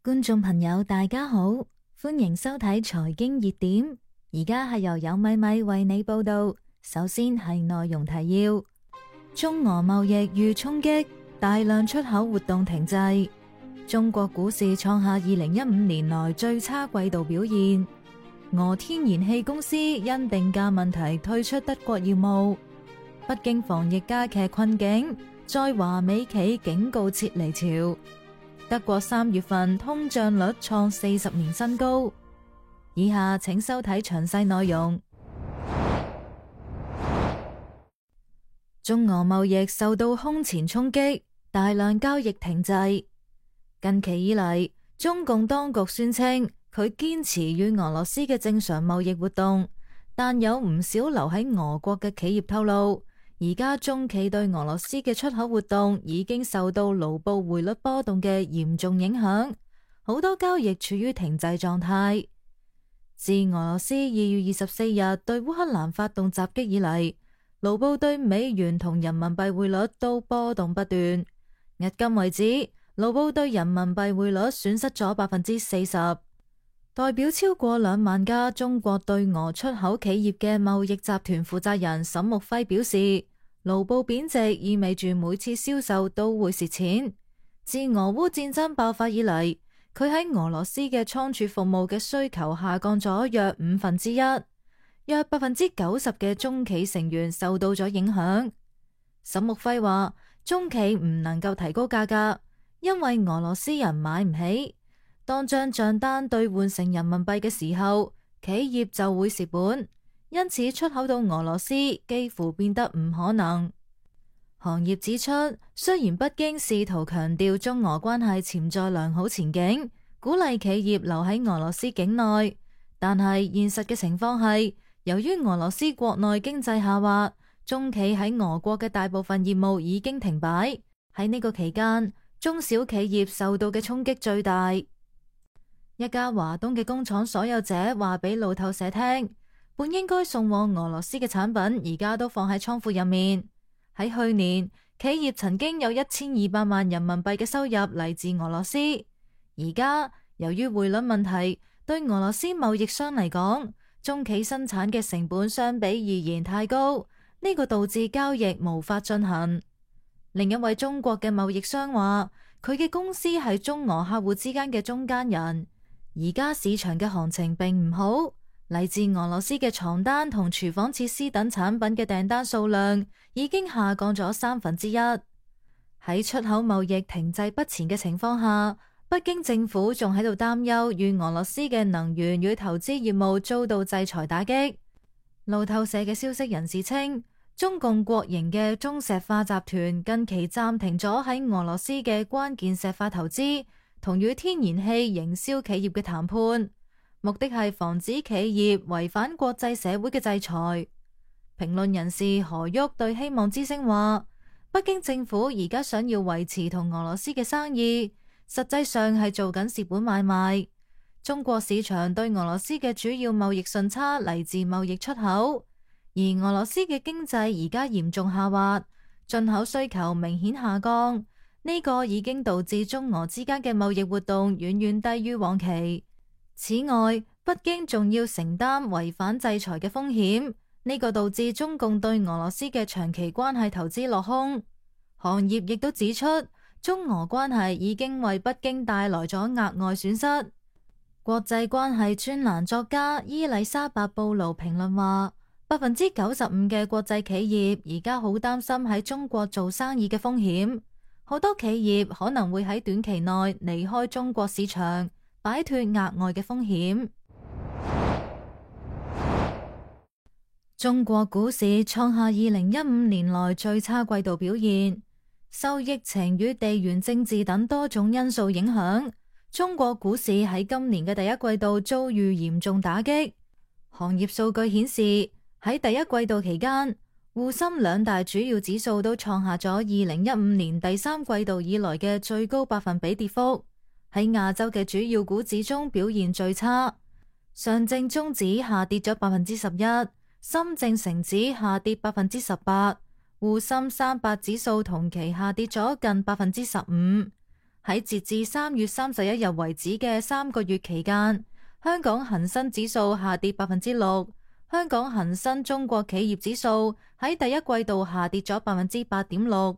觀眾朋友大家好，歡迎收睇財經熱點。而家係由有米米為你報道。首先係內容提要：中俄貿易遇衝擊，大量出口活動停滯。中國股市創下2015年來最差季度表現。俄天然氣公司因定價問題退出德國業務。北京防疫加劇困境，在華美企警告撤離潮。德國3月份通脹率創40年新高。以下請收睇詳細內容。中俄貿易受到空前衝擊，大量交易停滯。近期以嚟，中共當局宣稱佢堅持與俄羅斯嘅正常貿易活動，但有唔少留喺俄國嘅企業透露，而家中企對俄羅斯嘅出口活動已經受到盧布匯率波動嘅嚴重影響，好多交易處於停滯狀態。自俄羅斯2月24日對烏克蘭發動襲擊以嚟，盧布對美元同人民幣匯率都波動不斷。迄今為止，盧布對人民幣匯率損失咗40%。代表超過2萬家中國對俄出口企業嘅貿易集團負責人沈木輝表示，盧布貶值意味住每次銷售都會蝕錢。自俄烏戰爭爆發以嚟，佢喺俄羅斯嘅倉儲服務嘅需求下降咗約1/5，約90%嘅中企成員受到咗影響。沈木輝話，中企唔能夠提高價格，因為俄羅斯人買唔起。當將賬單兌換成人民幣嘅時候，企業就會蝕本，因此出口到俄羅斯幾乎變得唔可能。行業指出，雖然北京試圖強調中俄關係潛在良好前景，鼓勵企業留喺俄羅斯境內，但係現實嘅情況係，由於俄羅斯國內經濟下滑，中企喺俄國嘅大部分業務已經停擺。喺呢個期間，中小企業受到嘅衝擊最大。一家華東嘅工廠所有者話俾路透社聽，本應該送往俄羅斯嘅產品而家都放喺倉庫入面。喺去年，企業曾經有1200萬人民幣嘅收入嚟自俄羅斯，而家由於匯率問題，對俄羅斯貿易商嚟講，中企生產嘅成本相比而言太高，呢個導致交易無法進行。另一位中國嘅貿易商話，佢嘅公司係中俄客戶之間嘅中間人。而家市場嘅行情並唔好，嚟自俄羅斯嘅床單同廚房設施等產品嘅訂單數量已經下降咗1/3。喺出口貿易停滯不前嘅情況下，北京政府仲喺度擔憂與俄羅斯嘅能源與投資業務遭到制裁打擊。路透社嘅消息人士稱，中共國營嘅中石化集團近期暫停咗喺俄羅斯嘅關鍵石化投資同與天然氣營銷企業嘅談判，目的係防止企業違反國際社會嘅制裁。評論人士何旭對希望之聲話，北京政府而家想要維持同俄羅斯嘅生意，實際上係做緊蝕本買賣。中國市場對俄羅斯嘅主要貿易順差嚟自貿易出口，而俄羅斯嘅經濟而家嚴重下滑，進口需求明顯下降。呢個已經導致中俄之間嘅貿易活動遠遠低於往期。此外，北京仲要承擔違反制裁嘅風險，呢個導致中共對俄羅斯嘅長期關係投資落空。行業亦都指出，中俄關係已經為北京帶來咗額外損失。國際關係專欄作家伊麗莎白布魯評論話，95%嘅國際企業而家好擔心喺中國做生意嘅風險。好多企業可能會喺短期內離開中國市場，擺脫額外嘅風險。中國股市創下2015年來最差季度表現，受疫情與地緣政治等多種因素影響，中國股市喺今年嘅第一季度遭遇嚴重打擊。行業數據顯示，喺第一季度期間，滬深2大主要指數都創下咗2015年第3季度以來嘅最高百分比跌幅。喺亞洲嘅主要股指中表現最差，上證綜指下跌咗11%，深證成指下跌18%，滬深300指數同期下跌咗近15%。喺截至3月31日為止嘅3個月期間，香港恒生指數下跌6%，香港恒生中國企業指數喺第一季度下跌咗8.6%，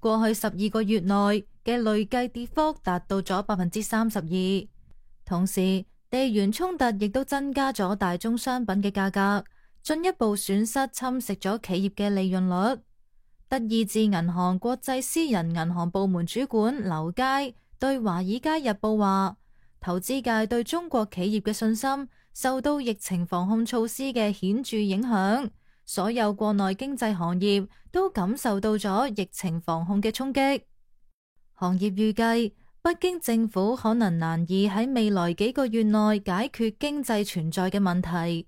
過去12個月內嘅累計跌幅達到咗32%。同時，地緣衝突亦都增加咗大宗商品嘅價格，進一步損失侵蝕咗企業嘅利潤率。德意志銀行國際私人銀行部門主管劉佳對《華爾街日報》話，投資界對中國企業嘅信心受到疫情防控措施嘅顯著影響，所有國內經濟行業都感受到咗疫情防控嘅衝擊。行業預計，北京政府可能難以喺未來幾個月內解決經濟存在嘅問題。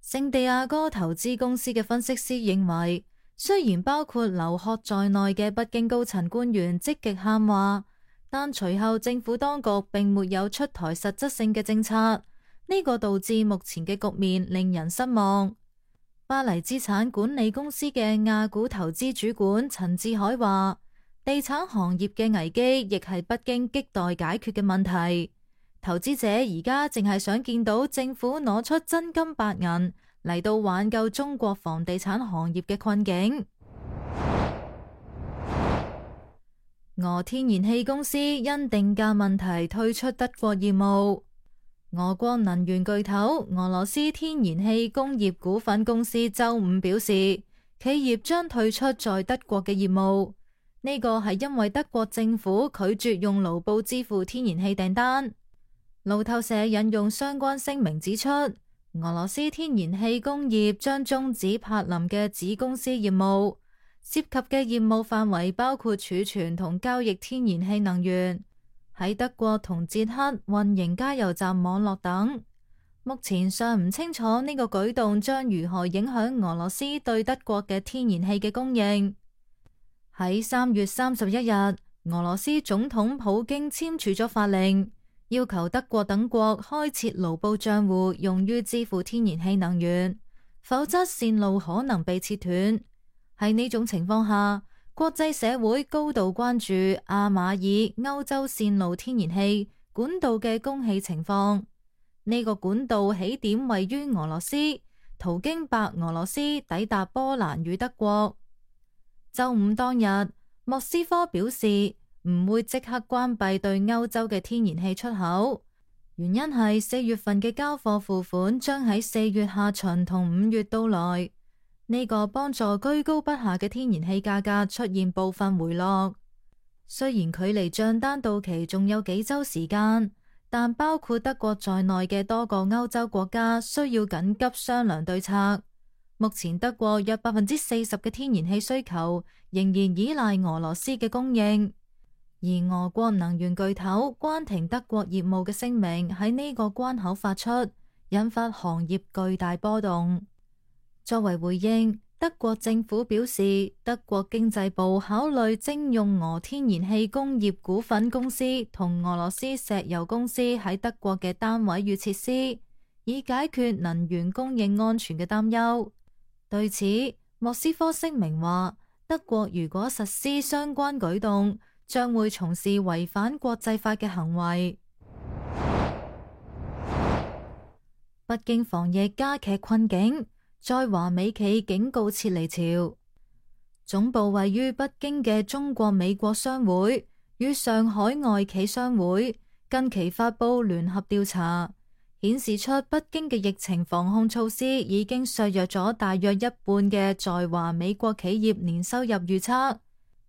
聖地亞哥投資公司嘅分析師認為，雖然包括劉鶴在內嘅北京高層官員積極喊話，但隨後政府當局並沒有出台實質性嘅政策，呢個導致目前嘅局面令人失望。巴黎資產管理公司嘅亞股投資主管陳志海話，地產行業嘅危機亦係北京亟待解決嘅問題。投資者而家淨係想見到政府攞出真金白銀嚟到挽救中國房地產行業嘅困境。俄天然氣公司因定價問題退出德國業務。俄國能源巨頭俄羅斯天然氣工業股份公司周五表示，企業將退出在德國嘅業務。呢個係因為德國政府拒絕用盧布支付天然氣訂單。路透社引用相關聲明指出，俄羅斯天然氣工業將終止柏林嘅子公司業務，涉及嘅業務範圍包括儲存同交易天然氣能源，喺德國同捷克運營加油站網絡等。目前尚唔清楚呢個舉動將如何影響俄羅斯對德國嘅天然氣嘅供應。喺3月31日，俄羅斯總統普京簽署咗法令，要求德國等國開設盧布賬戶，用於支付天然氣能源，否則線路可能被切斷。喺呢種情況下，國際社會高度關注阿馬爾歐洲線路天然氣管道嘅供氣情況。呢個管道起點位於俄羅斯，途經白俄羅斯抵達波蘭與德國。周五當日，莫斯科表示唔會即刻關閉對歐洲嘅天然氣出口，原因係4月份嘅交貨付款將喺4月下旬同5月到來，呢個幫助居高不下嘅天然氣價格出現部分回落。雖然距離賬單到期仲有幾周時間，但包括德國在內嘅多個歐洲國家需要緊急商量對策。目前德國約40%嘅天然氣需求仍然依賴俄羅斯嘅供應，而俄國能源巨頭關停德國業務嘅聲明喺呢個關口發出，引發行業巨大波動。作為回應，德國政府表示，德國經濟部考慮徵用俄天然氣工業股份公司同俄羅斯石油公司喺德國嘅單位與設施，以解決能源供應安全嘅擔憂。對此，莫斯科聲明話，德國如果實施相關舉動，將會從事違反國際法嘅行為。北京防疫加劇困境，在華美企警告撤離潮。總部位於北京嘅中國美國商會與上海外企商會近期發佈聯合調查，顯示出北京嘅疫情防控措施已經削弱咗大約一半嘅在華美國企業年收入預測。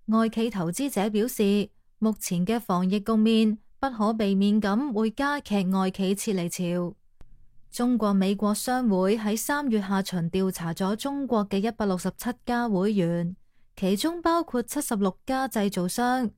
外企投資者表示，目前嘅防疫局面不可避免咁會加劇外企撤離潮。中國美國商會喺3月下旬調查咗中國嘅167家會員，其中包括76家製造商。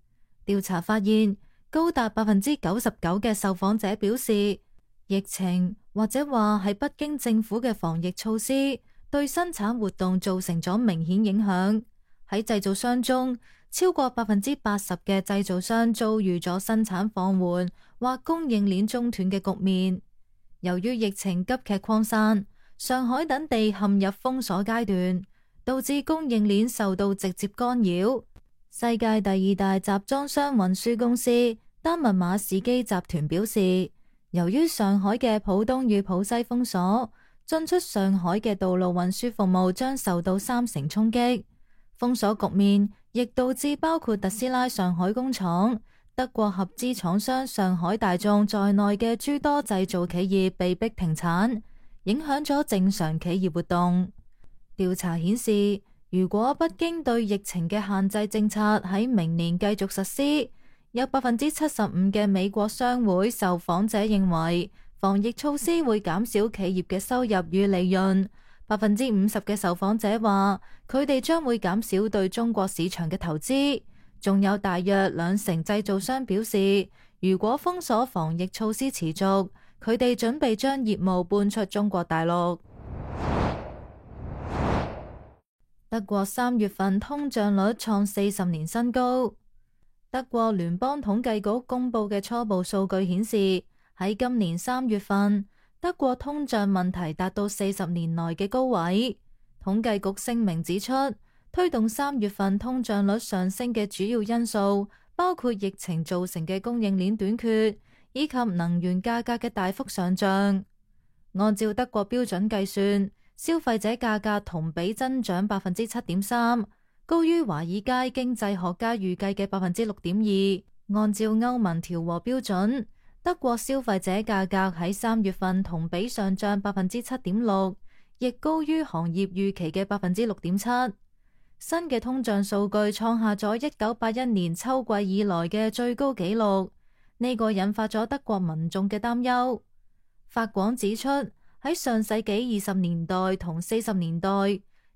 調查發現，高達99%嘅受訪者表示，疫情或者話係北京政府嘅防疫措施對生產活動造成咗明顯影響。喺製造商中，超過80%嘅製造商遭遇咗生產放緩或供應鏈中斷嘅局面。由於疫情急劇擴散，上海等地陷入封鎖階段，導致供應鏈受到直接干擾。世界第2大集裝箱運輸公司丹麥馬士基集團表示，由於上海嘅浦東與浦西封鎖，進出上海嘅道路運輸服務將受到3成衝擊。封鎖局面亦導致包括特斯拉上海工廠、德國合資廠商上海大眾在內嘅諸多製造企業被迫停產，影響咗正常企業活動。調查顯示，如果北京對疫情嘅限制政策喺明年繼續實施，有75%嘅美國商會受訪者認為防疫措施會減少企業嘅收入與利潤。50%嘅受訪者話佢哋將會減少對中國市場嘅投資。仲有大約20%製造商表示，如果封鎖防疫措施持續，佢哋準備將業務搬出中國大陸。德國3月份通脹率創40年新高。德國聯邦統計局公布嘅初步數據顯示，喺今年3月份，德國通脹問題達到40年來嘅高位。統計局聲明指出，推動3月份通脹率上升嘅主要因素包括疫情造成嘅供應鏈短缺，以及能源價格嘅大幅上漲。按照德國標準計算，消費者價格同比增長7.3%，高於華爾街經濟學家預計嘅6.2%。按照歐盟調和標準，德國消費者價格喺3月份同比上漲7.6%，亦高於行業預期嘅6.7%。新嘅通脹數據創下咗1981年秋季以來嘅最高紀錄，呢個引發咗德國民眾嘅擔憂。法廣指出，喺上世紀20年代同40年代，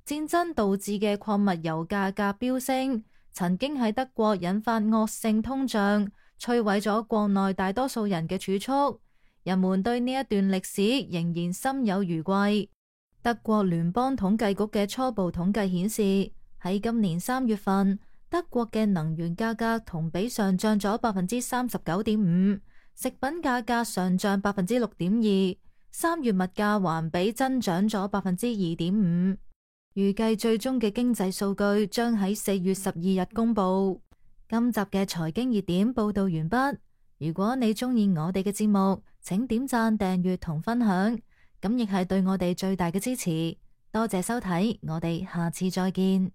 戰爭導致嘅礦物油價格飆升，曾經喺德國引發惡性通脹，摧毀咗國內大多數人嘅儲蓄。人們對呢一段歷史仍然心有餘悸。德國聯邦統計局嘅初步統計顯示，喺今年3月份，德國嘅能源價格同比上漲咗39.5%，食品價格上漲6.2%。3月物價環比增長咗2.5%，預計最終嘅經濟數據將喺4月12日公布。今集嘅財經熱點報道完畢。如果你鍾意我哋嘅節目，請點讚、訂閱同分享，咁亦係對我哋最大嘅支持。多謝收睇，我哋下次再見。